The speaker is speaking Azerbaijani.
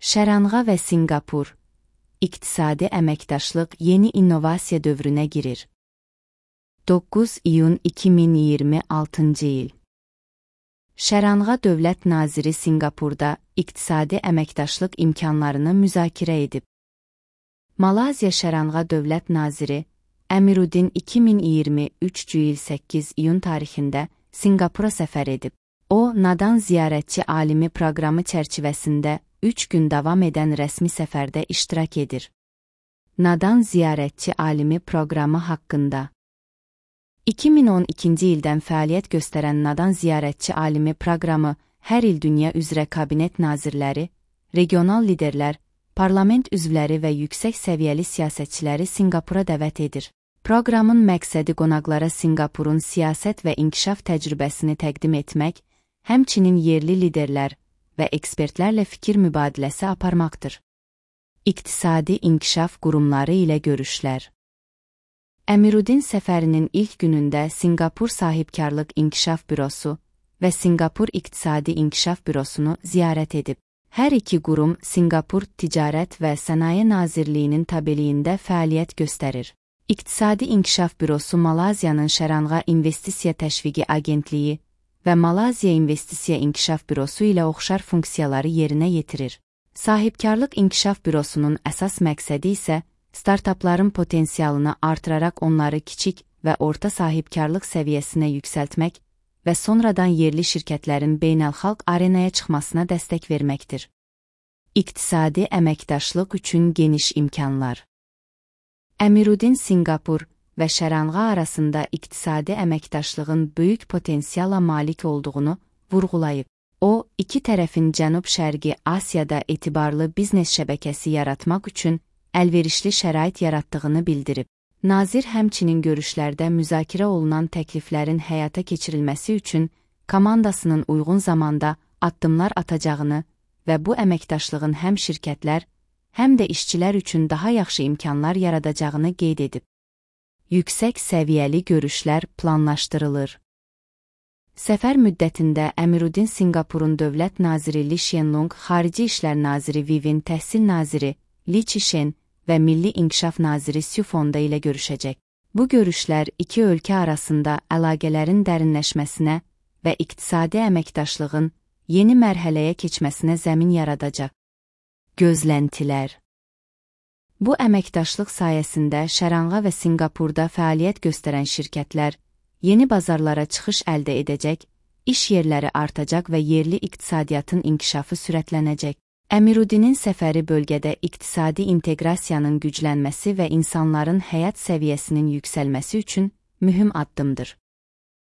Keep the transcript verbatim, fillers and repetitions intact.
Şəranğa və Sinqapur, iqtisadi əməkdaşlıq yeni innovasiya dövrünə girir. doqquz iyun iki min iyirmi altıncı il. Şəranğa Dövlət Naziri Sinqapurda iqtisadi əməkdaşlıq imkanlarını müzakirə edib. Malayziya Şəranğa Dövlət Naziri Amiruddin iki min iyirmi üç il səkkiz iyun tarixində Sinqapura səfər edib. O, Nadan Ziyarətçi Alimi proqramı çərçivəsində üç gün davam edən rəsmi səfərdə iştirak edir. Nadan Ziyarətçi Alimi proqramı haqqında iki min on ikinci ildən fəaliyyət göstərən Nadan Ziyarətçi Alimi proqramı hər il dünya üzrə kabinet nazirləri, regional liderlər, parlament üzvləri və yüksək səviyyəli siyasətçiləri Sinqapura dəvət edir. Proqramın məqsədi qonaqlara Sinqapurun siyasət və inkişaf təcrübəsini təqdim etmək, həmçinin yerli liderlər və ekspertlərlə fikir mübadiləsi aparmaqdır. İqtisadi inkişaf qurumları ilə görüşlər. Amiruddin səfərinin ilk günündə Sinqapur Sahibkarlıq İnkişaf Bürosu və Sinqapur İqtisadi İnkişaf Bürosunu ziyarət edib. Hər iki qurum Sinqapur Ticarət və Sənaye Nazirliyinin tabeliyində fəaliyyət göstərir. İqtisadi İnkişaf Bürosu Malayziyanın Şəranğa İnvestisiya Təşviqi Agentliyi və Malayziya İnvestisiya İnkişaf Bürosu ilə oxşar funksiyaları yerinə yetirir. Sahibkarlıq İnkişaf Bürosunun əsas məqsədi isə startapların potensialını artıraraq onları kiçik və orta sahibkarlıq səviyyəsinə yüksəltmək və sonradan yerli şirkətlərin beynəlxalq arenaya çıxmasına dəstək verməkdir. İqtisadi əməkdaşlıq üçün geniş imkanlar. Amiruddin Sinqapur və Şəranğa arasında iqtisadi əməkdaşlığın böyük potensiala malik olduğunu vurğulayıb. O, iki tərəfin Cənub-Şərqi Asiyada etibarlı biznes şəbəkəsi yaratmaq üçün əlverişli şərait yaratdığını bildirib. Nazir həmçinin görüşlərdə müzakirə olunan təkliflərin həyata keçirilməsi üçün komandasının uyğun zamanda addımlar atacağını və bu əməkdaşlığın həm şirkətlər, həm də işçilər üçün daha yaxşı imkanlar yaradacağını qeyd edib. Yüksək səviyyəli görüşlər planlaşdırılır. Səfər müddətində Amiruddin Sinqapurun Dövlət Naziri Li Shenlong, Xarici İşlər Naziri Vivin, Təhsil Naziri Li Qishen və Milli İnkişaf Naziri Su Fonda ilə görüşəcək. Bu görüşlər iki ölkə arasında əlaqələrin dərinləşməsinə və iqtisadi əməkdaşlığın yeni mərhələyə keçməsinə zəmin yaradacaq. Gözləntilər. Bu əməkdaşlıq sayəsində Şəranğa və Sinqapurda fəaliyyət göstərən şirkətlər yeni bazarlara çıxış əldə edəcək, iş yerləri artacaq və yerli iqtisadiyyatın inkişafı sürətlənəcək. Amiruddinin səfəri bölgədə iqtisadi inteqrasiyanın güclənməsi və insanların həyat səviyyəsinin yüksəlməsi üçün mühüm addımdır.